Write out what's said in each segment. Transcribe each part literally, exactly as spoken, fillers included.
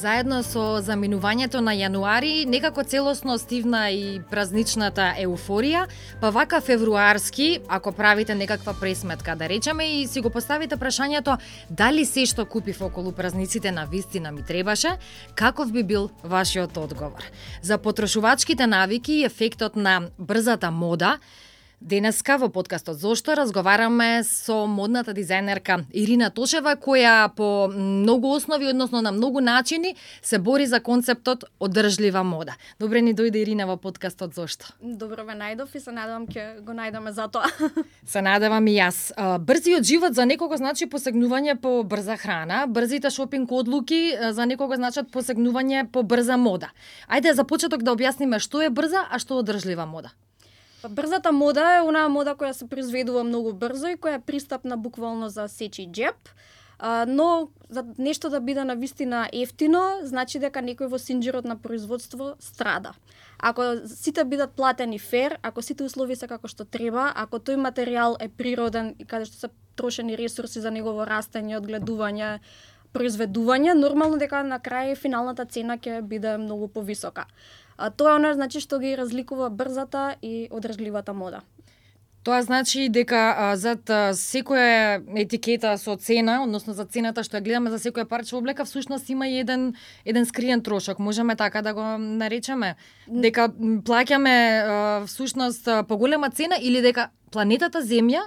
Заедно со заминувањето на јануари, некако целосно стивна и празничната еуфорија, па вака февруарски, ако правите некаква пресметка, да речеме, и си го поставите прашањето дали се што купив околу празниците на вистина ми требаше, каков би бил вашиот одговор? За потрошувачките навики и ефектот на брзата мода, денеска во подкастот Зошто разговараме со модната дизајнерка Ирина Тошева, која по многу основи, односно на многу начини, се бори за концептот одржлива мода. Добре ни дојде Ирина во подкастот Зошто. Добро ве најдов и се надевам ќе го најдеме за тоа. Се надевам и јас. Брзиот живот за некого значи посегнување по брза храна, брзите шопинг одлуки за некого значат посегнување по брза мода. Ајде за почеток да објасниме што е брза, а што е одржлива мода. Брзата мода е онаа мода која се произведува многу брзо и која е пристапна буквално за сечи джеб, но за нешто да биде навистина ефтино, значи дека некој во синџирот на производство страда. Ако сите бидат платени фер, ако сите услови се како што треба, ако тој материјал е природен и каде што се трошени ресурси за негово растење, одгледување, произведување, нормално дека на крај финалната цена ќе биде многу повисока. А тоа е она значи што ги разликува брзата и одржливата мода. Тоа значи дека а, зад а, секоја етикета со цена, односно за цената што ја гледаме за секоја парче облека, всушност има и еден еден скриен трошок. Можеме така да го наречеме, дека плаќаме а, всушност поголема цена или дека планетата Земја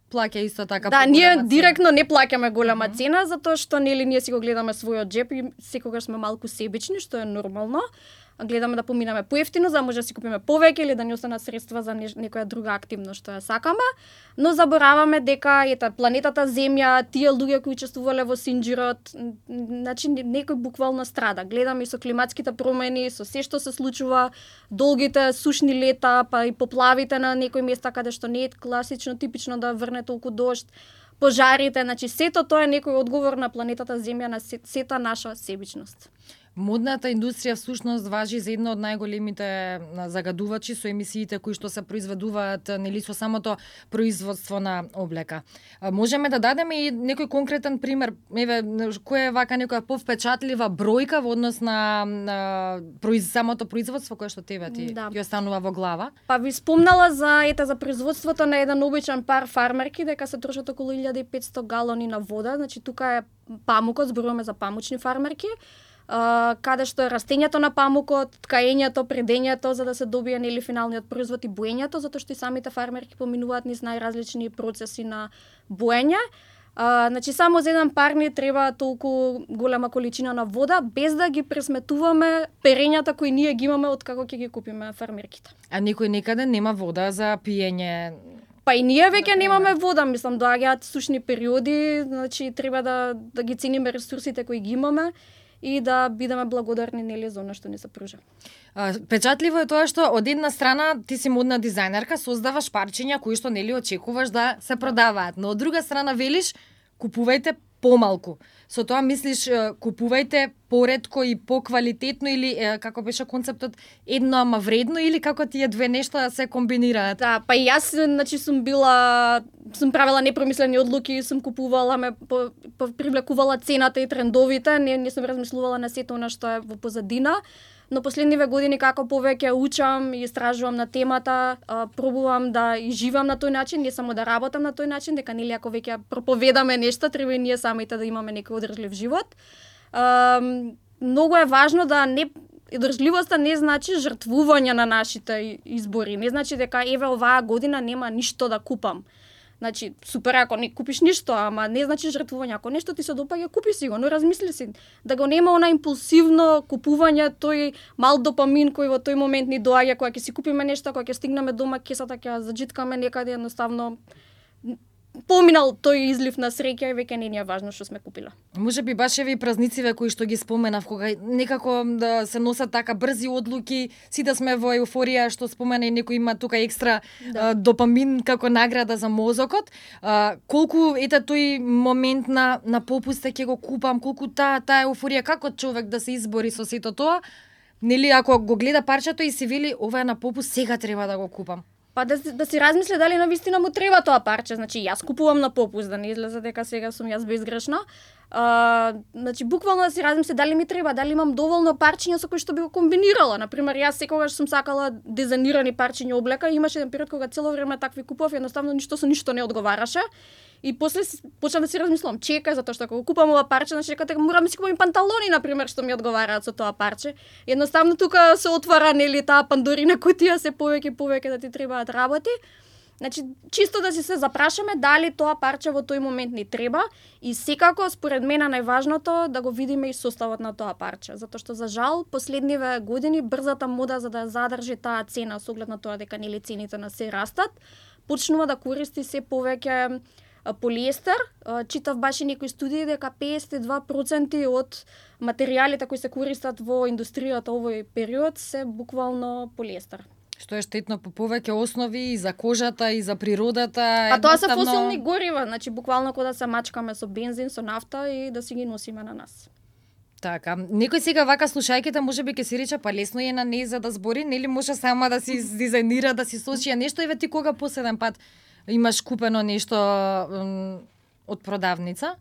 плаќа исто така. Да, ние директно не плаќаме голема mm-hmm. цена, затоа што нели ние си го гледаме својот джеб и секогаш сме малку себични, што е нормално. Гледаме да поминаме поевтино, за да може да си купиме повеќе или да ни останат средства за не, некоја друга активност што ја сакаме, но забораваме дека ета планетата Земја, тие луѓе кои учествувале во синџирот, значи некој буквално страда. Гледаме и со климатските промени, со се што се случува, долгите сушни лета, па и поплавите на некои места каде што не е класично типично да врне толку дожд, пожарите, значи сето тоа е некој одговор на планетата Земја, на сета наша себичност. Модната индустрија всушност важи за една од најголемите загадувачи со емисиите кои што се произведуваат нели со самото производство на облека. Можеме да дадеме и некој конкретен пример, еве која е вака некоја повпечатлива бројка во однос на, на произ, самото производство кое што тебе ти да. Ја останува во глава? Па ви спомнала за ета за производството на еден обичен пар фармерки дека се трошат околу илјада и петсто галони на вода, значи тука е памукот, зборуваме за памучни фармерки. Uh, каде што е растењето на памукот, ткаењето, предењето за да се добие нели финалниот производ и боењето, затоа што и самите фармерки поминуваат низ најразлични процеси на боење. Uh, значи само за еден пар ни треба толку голема количина на вода, без да ги пресметуваме перењата кои ние ги имаме од како ќе ги купиме фармерките. А никој некаде нема вода за пиење? Па и ние веќе немаме вода, мислам, доаѓаат сушни периоди, значи треба да да ги цениме ресурсите кои ги имаме и да бидеме благодарни нели за она што ни се пружа. Печатливо е тоа што од една страна ти си модна дизајнерка, создаваш парчиња кои што нели очекуваш да се продаваат, но од друга страна велиш купувајте помалку. Со тоа мислиш купувајте поретко и поквалитетно или како беше концептот едно ама вредно или како тие две нешта се комбинираат? Да, па и јас значи сум била сум правила непромислени одлуки, сум купувала, ме по, по, привлекувала цената и трендовите, не не сум размислувала на сето она што е во позадина. Но последниве години како повеќе учам и истражувам на темата, а, пробувам да и живам на тој начин, не само да работам на тој начин, дека нели ако веќе проповедаме нешто, треба и ние самите да имаме некој одржлив живот. А, многу е важно да не одржливоста не значи жртвување на нашите избори, не значи дека еве оваа година нема ништо да купам. Значи, супер ако не купиш ништо, ама не значи жртвување. Ако нешто ти се допаѓа, купи си го, но размисли си. Да го нема она импулсивно купување, тој мал допамин кој во тој момент ни доаѓа, кога ќе си купиме нешто, кога ќе стигнеме дома, кесата ќе заџиткаме некаде, едноставно поминал тој излив на среќа и веќе не ни е важно што сме купила. Може би баш еве и празнициве кои што ги споменав, кога некако да се носат така брзи одлуки, сите сме во еуфорија што спомена и некој има тука екстра да. а, допамин како награда за мозокот. А, колку ете тој момент на на попуста ќе го купам, колку таа таа еуфорија, како човек да се избори со сето тоа? Нели ако го гледа парчето и си вели ова е на попуст, сега треба да го купам. Па да, да си размисли дали навистина му треба тоа парче. Значи, јас купувам на попуст, да не излезе дека сега сум јас безгрешна. А, значи буквално да си размислам дали ми треба, дали имам доволно парчиња со кои што би го комбинирала. Например, јас секогаш сум сакала дизајнирани парчиња облека, имаше еден период кога цело време такви купував, едноставно ништо со ништо не одговараше. И после почнав да си размислувам, чекај, затоа што ако купам ова парче, значи дека морам да си купам и панталони, например, што ми одговараат со тоа парче. Едноставно тука се отвара нели таа пандорина кутија, се повеќе и повеќе да ти требаат работи. Значи, чисто да си се запрашаме дали тоа парче во тој момент ни треба и секако, според мене, најважното да го видиме и составот на тоа парче. Затоа што, за жал, последниве години брзата мода за да задржи таа цена со оглед на тоа дека нели цените на се растат, почнува да користи се повеќе полиестер. Читав баш и некои студии дека песет и два проценти од материјалите кои се користат во индустријата овој период се буквално полиестер. Што е штетно по повеќе основи и за кожата и за природата. А тоа се фосилни горива, значи буквално кога да се мачкаме со бензин, со нафта и да си ги носиме на нас. Така, некој сега вака слушајќите можеби ќе си рече па лесно е на неј за да збори, нели може сама да си дизајнира, да си сочи нешто, еве ти кога последен пат имаш купено нешто од продавница?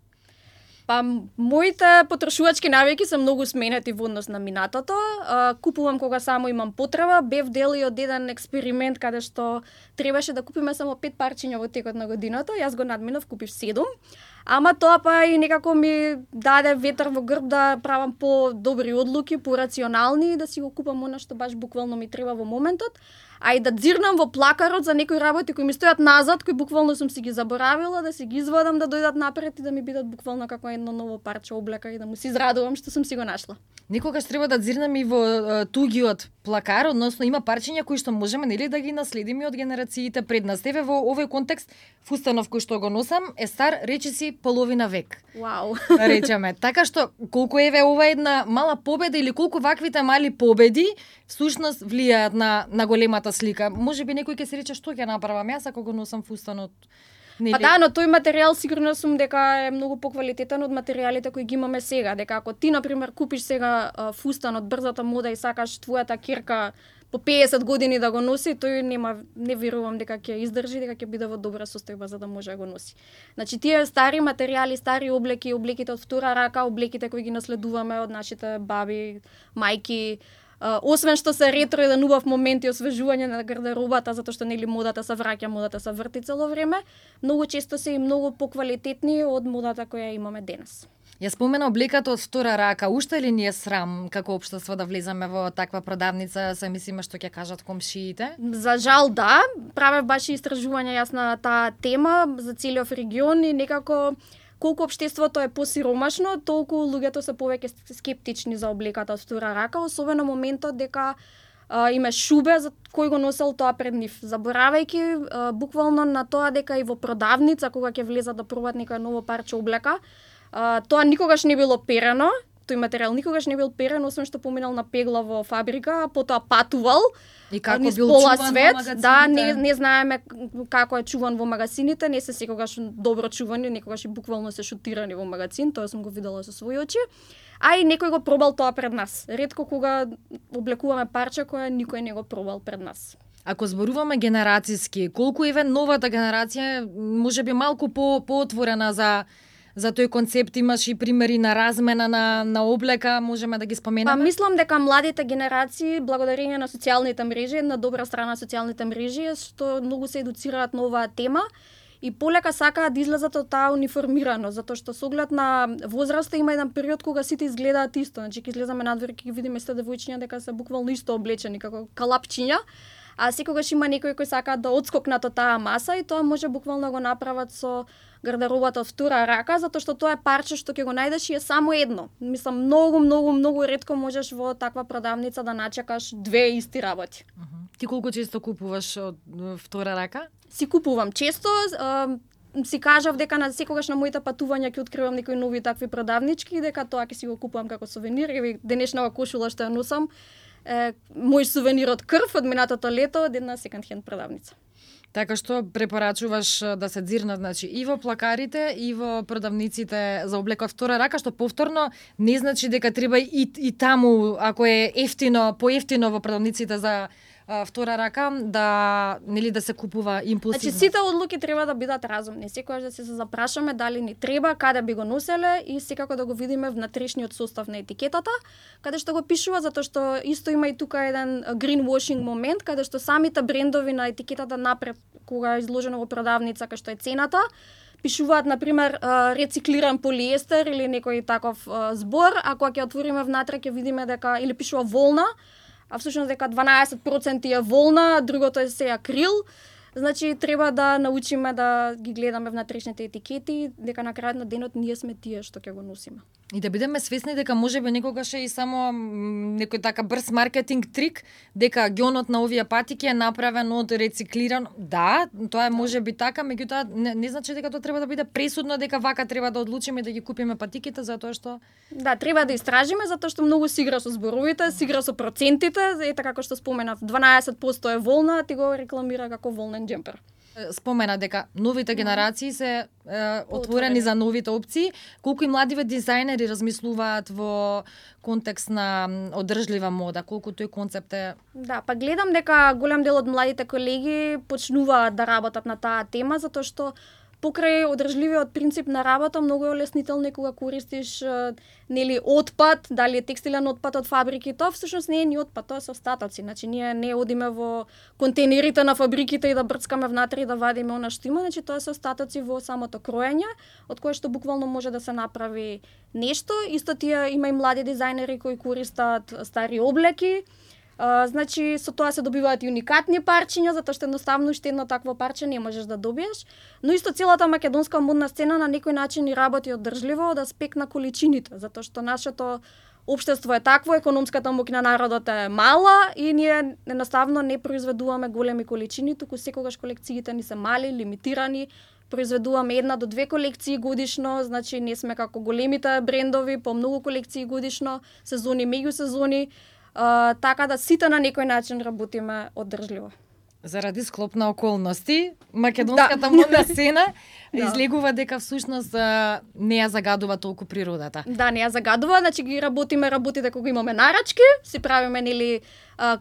Па, моите потрошувачки навики се многу сменети во однос на минатото. А, купувам кога само имам потреба. Бев дел и од еден експеримент каде што требаше да купиме само пет парчиња во текот на годината. Јас го надминав, купив седум. Ама тоа па и некако ми даде ветер во грб да правам по-добри одлуки, по-рационални и да си го купам она што баш буквално ми треба во моментот. А и да дзирнам во плакарот за некои работи кои ми стојат назад, кои буквално сум си ги заборавила, да си ги извадам, да дојдат напред и да ми бидат буквално како едно ново парче облека и да му се израдувам што сум си го нашла. Никогаш треба да дзирнам и во uh, тугиот плакар, односно има парчиња кои што можеме нели да ги наследиме од генерациите пред нас. Еве во овој контекст фустанов кој што го носам е стар речиси половина век. Вау. Речеме. Така што колку еве ова една мала победа или колку ваквите мали победи всушност влијаат на на големата слика. Можеби некој ќе се рече што ќе направам јас ако го носам фустанот. Па да, но тој материјал сигурно сум дека е многу поквалитетен од материјалите кои ги имаме сега. Дека ако ти, например, купиш сега а, фустан од брзата мода и сакаш твојата кирка по песет години да го носи, тој нема, не верувам дека ќе издржи, дека ќе биде во добра состојба за да може да го носи. Значи, тие стари материјали, стари облеки, облеките од втора рака, облеките кои ги наследуваме од нашите баби, мајки, Uh, освен што се ретро еден убав момент и освежување на гардеробата, затоа што нели модата се враќа, модата се врти цело време, многу често се и многу поквалитетни од модата која имаме денес. Ја спомена облеката од втора рака, уште ли ни е срам како општество да влеземе во таква продавница, се мислиме што ќе кажат комшиите? За жал да, правев баш истражување јас на таа тема за целиот регион и некако колку општеството е посиромашно, толку луѓето се повеќе скептични за облеката од втора рака, особено моментот дека а, има шубе за кој го носел тоа пред нив, заборавајќи а, буквално на тоа дека и во продавница кога ќе влезат да пробат некој ново парче облека, а, тоа никогаш не било перено, тој материјал никогаш не бил перен, освен што поминал на пегла во фабрика, потоа патувал. И како низ бил пола чуван свет, во магазините? Да, не, не знаеме како е чуван во магазините, не се секогаш добро чувани, некогаш и буквално се шутирани во магазин, тоа сум го видела со своји очи. А и некој го пробал тоа пред нас. Ретко кога облекуваме парче кое никој не го пробал пред нас. Ако зборуваме генерацијски, колку еве новата генерација можеби малку по поотворена за за тој концепт, имаш и примери на размена на на облека, можеме да ги споменаме? Па мислам дека младите генерации, благодарение на социјалните мрежи, една добра страна социјалните мрежи е што многу се едуцираат на оваа тема и полека сакаат да излезат од таа униформирано, затоа што со оглед на возраста има еден период кога сите изгледаат исто, значи ќе излеземе надвор ќе ги видиме сите девојчиња дека се буквално исто облечени како калапчиња. А секогаш има некои кои сакаат да отскокнат од таа маса и тоа може буквално да го направат со гардеробата од втора рака, затоа што тоа е парче што ќе го најдеш и е само едно. Мислам, многу, многу, многу ретко можеш во таква продавница да начекаш две исти работи. Uh -huh. Ти колку често купуваш од втора рака? Си купувам често, а, си кажав дека на секогаш на моите патувања ќе откривам некои нови такви продавнички, дека тоа ќе си го купувам како сувенир, и денешната кошула што ја носам е мој сувенир од крв од минатото лето од една секонд хенд продавница. Така што препорачуваш да се дзирнат, значи, и во плакарите, и во продавниците за облека од втора рака, што повторно не значи дека треба и, и таму, ако е ефтино, поевтино во продавниците за а, втора рака да нели да се купува импулсивно. Значи сите одлуки треба да бидат разумни. Секогаш да се запрашаме дали ни треба, каде би го носеле и секако да го видиме внатрешниот состав на етикетата, каде што го пишува, затоа што исто има и тука еден greenwashing момент, каде што самите брендови на етикетата напред кога е изложено во продавница кај што е цената, пишуваат на пример рециклиран полиестер или некој таков збор, а кога ќе отвориме внатре ќе видиме дека или пишува волна, а всушност дека дванаесет проценти е волна, другото е се акрил. Значи треба да научиме да ги гледаме внатрешните етикети, дека на крајот на денот ние сме тие што ќе го носиме. И да бидеме свесни дека можеби некогаш е и само некој така брз маркетинг трик, дека ѓонот на овие патики е направен од рециклиран. Да, тоа е можеби така, меѓутоа не, не значи дека тоа треба да биде пресудно дека вака треба да одлучиме да ги купиме патиките, затоа што Да, треба да истражиме затоа што многу си игра со зборовите, си игра со процентите, ете како што споменав, дванаесет проценти е волна, а ти го рекламира како волнен џемпер. Спомена дека новите генерации се е, отворени за новите опции. Колку и младиве дизајнери размислуваат во контекст на одржлива мода, колку тој концепт е. Да, па гледам дека голем дел од младите колеги почнуваат да работат на таа тема, затоа што покрај одржливиот принцип на работа многу е олеснително кога користиш нели отпад, дали е текстилен отпад од фабрики, тоа всушност не е ни отпад, тоа се остатоци. Значи ние не одиме во контейнерите на фабриките и да брцкаме внатре и да вадиме она што има, значи тоа се остатоци во самото кроење, од кое што буквално може да се направи нешто. Исто тие има и млади дизајнери кои користат стари облеки. Uh, значи, со тоа се добиваат и уникатни парчиња, затоа што едноставно уште едно такво парче не можеш да добиеш. Но исто целата македонска модна сцена на некој начин и работи одржливо од аспект на количините, затоа што нашето општество е такво, економската моќ на народот е мала и ние едноставно не произведуваме големи количини, туку секогаш колекциите ни се мали, лимитирани, произведуваме една до две колекции годишно, значи не сме како големите брендови, по многу колекции годишно, сезони, меѓу сезони. Uh, така да сите на некој начин работиме одржливо. Заради склоп на околности, македонската да. модна сцена да. излегува дека всушност не ја загадува толку природата. Да, не ја загадува, значи ги работиме работите кога имаме нарачки, си правиме нели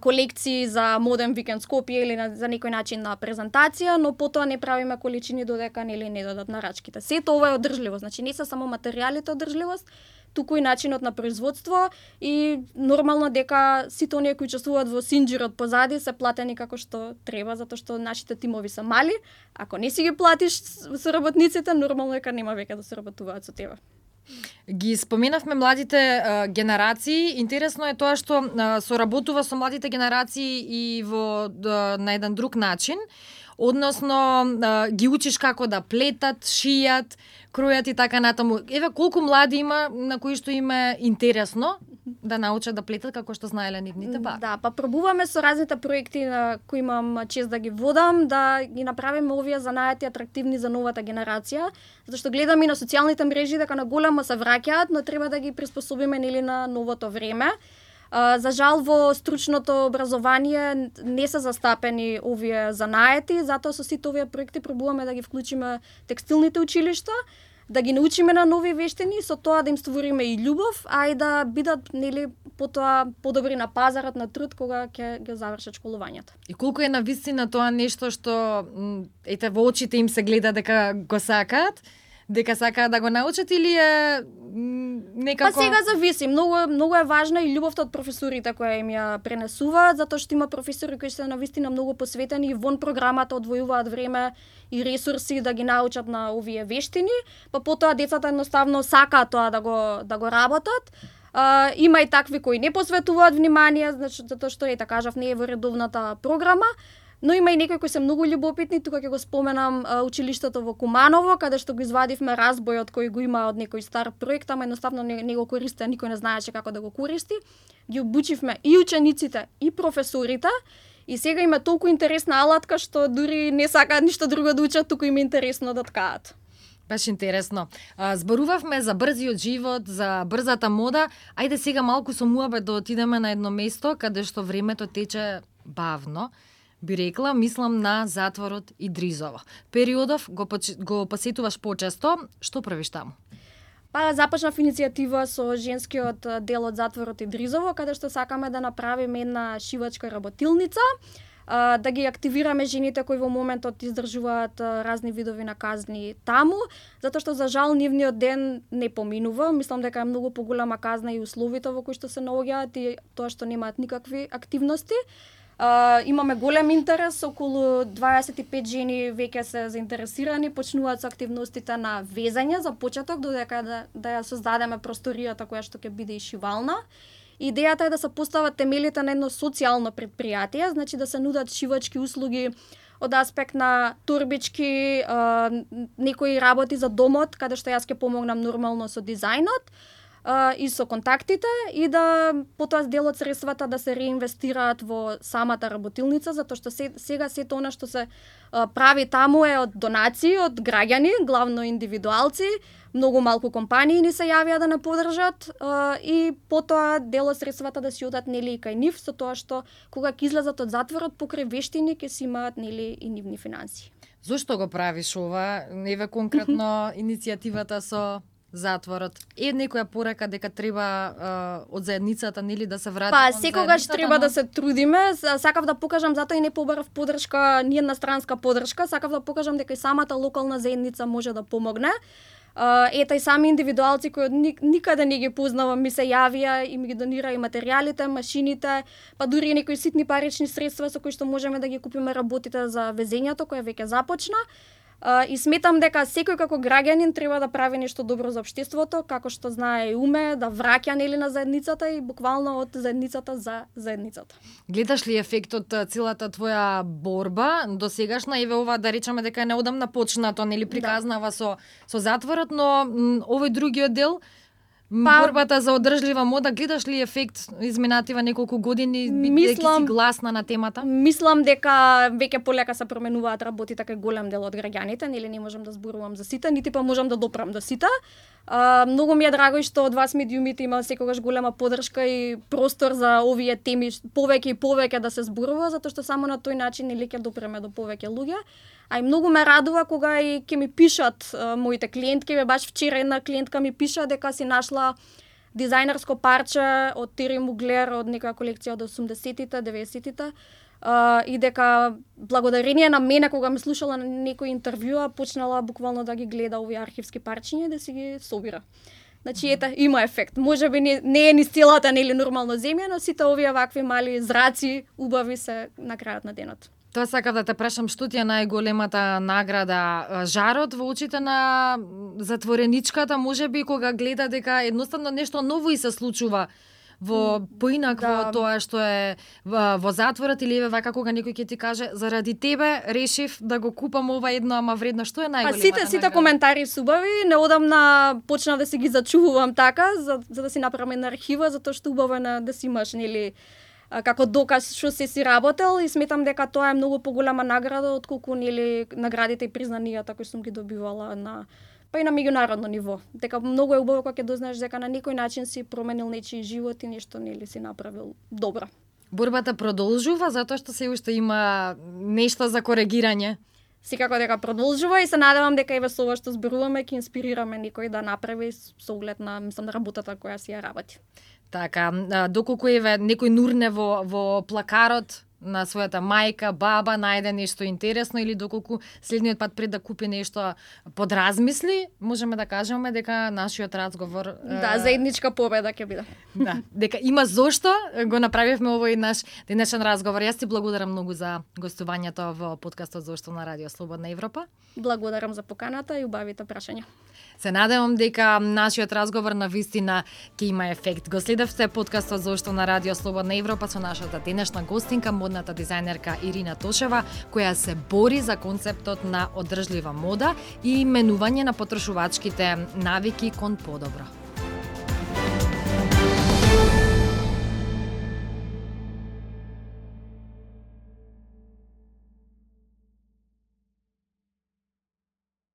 колекции за моден викенд Скопје или на, за некој начин на презентација, но потоа не правиме количини додека нели не дадат нарачките. Сето ова е одржливост, значи не се само материјалите одржливост, туку и начинот на производство и нормално дека сите оние кои учествуваат во синџирот позади се платени како што треба, затоа што нашите тимови се мали. Ако не си ги платиш со работниците, нормално дека нема веќе да се работуваат со тебе. Ги споменавме младите а, генерации. Интересно е тоа што а, соработува со младите генерации и во да, на еден друг начин. Односно, а, ги учиш како да плетат, шијат, кројат и така натаму. Еве колку млади има на кои што им е интересно да научат да плетат како што знаеле нивните ба. Да, па пробуваме со разните проекти на кои имам чест да ги водам, да ги направиме овие занаети атрактивни за новата генерација, затоа што гледам и на социјалните мрежи дека на големо се враќаат, но треба да ги приспособиме нели на новото време. Uh, за жал во стручното образование не се застапени овие занаети, затоа со сите овие проекти пробуваме да ги вклучиме текстилните училишта, да ги научиме на нови вештини, со тоа да им створиме и љубов, а и да бидат нели потоа подобри на пазарот на труд кога ќе ги завршат школувањето. И колку е навистина тоа нешто што ете во очите им се гледа дека го сакаат, дека сакаат да го научат или е некако... Па сега зависи, многу многу е важна и љубовта од професорите која им ја пренесуваат, затоа што има професори кои се навистина многу посветени и вон програмата одвојуваат време и ресурси да ги научат на овие вештини, па потоа децата едноставно сакаат тоа да го да го работат. Uh, има и такви кои не посветуваат внимание, значи затоа што ета кажав не е во редовната програма. Но има и некои кои се многу љубопитни, тука ќе го споменам а, училиштето во Куманово, каде што го извадивме разбојот кој го има од некој стар проект, ама едноставно не, не го користи, никој не знаеше како да го користи. Ги обучивме и учениците, и професорите, и сега има толку интересна алатка што дури не сакаат ништо друго да учат, туку им е интересно да ткаат. Баш интересно. А, зборувавме за брзиот живот, за брзата мода. Ајде сега малку со муабет да отидеме на едно место каде што времето тече бавно. Би рекла, мислам на затворот Идризово. Периодов го, го посетуваш почесто, што правиш таму? Па започнав иницијатива со женскиот дел од затворот Идризово, каде што сакаме да направиме една шивачка работилница, да ги активираме жените кои во моментот издржуваат разни видови на казни таму, затоа што за жал нивниот ден не поминува. Мислам дека е многу поголема казна и условите во кои што се наоѓаат и тоа што немаат никакви активности. Uh, имаме голем интерес, околу дваесет и пет жени веќе се заинтересирани, почнуваат со активностите на везање за почеток, додека да, да ја создадеме просторијата која што ќе биде и шивална. Идејата е да се постават темелите на едно социјално предпријатие, значи да се нудат шивачки услуги од аспект на торбички, uh, некои работи за домот, каде што јас ќе помогнам нормално со дизајнот, Uh, и со контактите и да потоа дел од средствата да се реинвестираат во самата работилница, затоа што се, сега сето она што се uh, прави таму е од донации од граѓани, главно индивидуалци, многу малку компании ни се јавија да не поддржат uh, и потоа дел од средствата да си одат нели и кај нив, со тоа што кога ќе излезат од затворот покрај вештини ќе си имаат нели и нивни финансии. Зошто го правиш ова? Еве конкретно иницијативата со затворот. Е некоја порека дека треба а, од заедницата нели да се врати. Па секогаш треба но... да се трудиме. Сакав да покажам, затоа и не побарав поддршка, ни една странска поддршка, сакав да покажам дека и самата локална заедница може да помогне. Uh, ета и сами индивидуалци кои никаде не ги познавам ми се јавија и ми ги донира и материјалите, машините, па дури и некои ситни парични средства со кои што можеме да ги купиме работите за везењето кој веќе започна. Uh, и сметам дека секој како граѓанин треба да прави нешто добро за општеството, како што знае и уме, да враќа нели на заедницата и буквално од заедницата за заедницата. Гледаш ли ефектот целата твоја борба до сегашна, еве ова да речеме дека е неодамна почнато, нели приказнава да. со со затворот, но м, овој другиот дел Па, борбата за одржлива мода, гледаш ли ефект изминатива неколку години, бидејќи си гласна на темата? Мислам дека веќе полека се променуваат работите кај голем дел од граѓаните, нели не можам да зборувам за сите, нити па можам да допрам до сите. Uh, многу ми е драго и што од вас медиумите има секогаш голема поддршка и простор за овие теми повеќе и повеќе да се зборува, затоа што само на тој начин нели ќе допреме до повеќе луѓе. А и многу ме радува кога и ќе ми пишат uh, моите клиентки, бе баш вчера една клиентка ми пиша дека си нашла дизајнерско парче од Тери Муглер од некоја колекција од осумдесетите, деветдесетите. Uh, и дека благодарение на мене кога ме слушала на некој интервјуа почнала буквално да ги гледа овие архивски парчиња и да си ги собира. Значи ета има ефект. Можеби не, не е ни стилата нели нормално земја, но сите овие вакви мали зраци убави се на крајот на денот. Тоа сакав да те прашам, што ти е најголемата награда? Жарот во очите на затвореничката, можеби кога гледа дека едноставно нешто ново и се случува во поинакво да. Тоа што е во, во затворот, или еве вака кога некој ќе ти каже заради тебе решив да го купам ова едно ама вредно, што е најголемата? Па сите сите награда? Коментари субави, неодамна почнав да си ги зачувувам така за, за да си направам една архива, затоа што убаво е да си имаш нели како доказ што се си работел и сметам дека тоа е многу поголема награда отколку нели наградите и признанијата кои сум ги добивала на па и на меѓународно ниво. Дека многу е убаво кога ќе дознаеш дека на некој начин си променил нечии живот и нешто нели си направил добро. Борбата продолжува затоа што се уште има нешто за коригирање. Секако дека продолжува и се надевам дека еве со ова што зборуваме ќе инспирираме некој да направи со оглед на мислам на работата која си ја работи. Така, доколку еве некој нурне во во плакарот на својата мајка, баба, најде нешто интересно или доколку следниот пат пред да купи нешто подразмисли, можеме да кажеме дека нашиот разговор да, заедничка победа ќе биде. Да, дека има зошто го направивме овој наш денешен разговор. Јас ти благодарам многу за гостувањето во подкастот Зошто на Радио Слободна Европа. Благодарам за поканата и убавите прашања. Се надевам дека нашиот разговор на вистина ќе има ефект. Го следевте подкастот Зошто на Радио Слободна Европа со нашата денешна гостинка, модната дизајнерка Ирина Тошева, која се бори за концептот на одржлива мода и менување на потрошувачките навики кон подобро.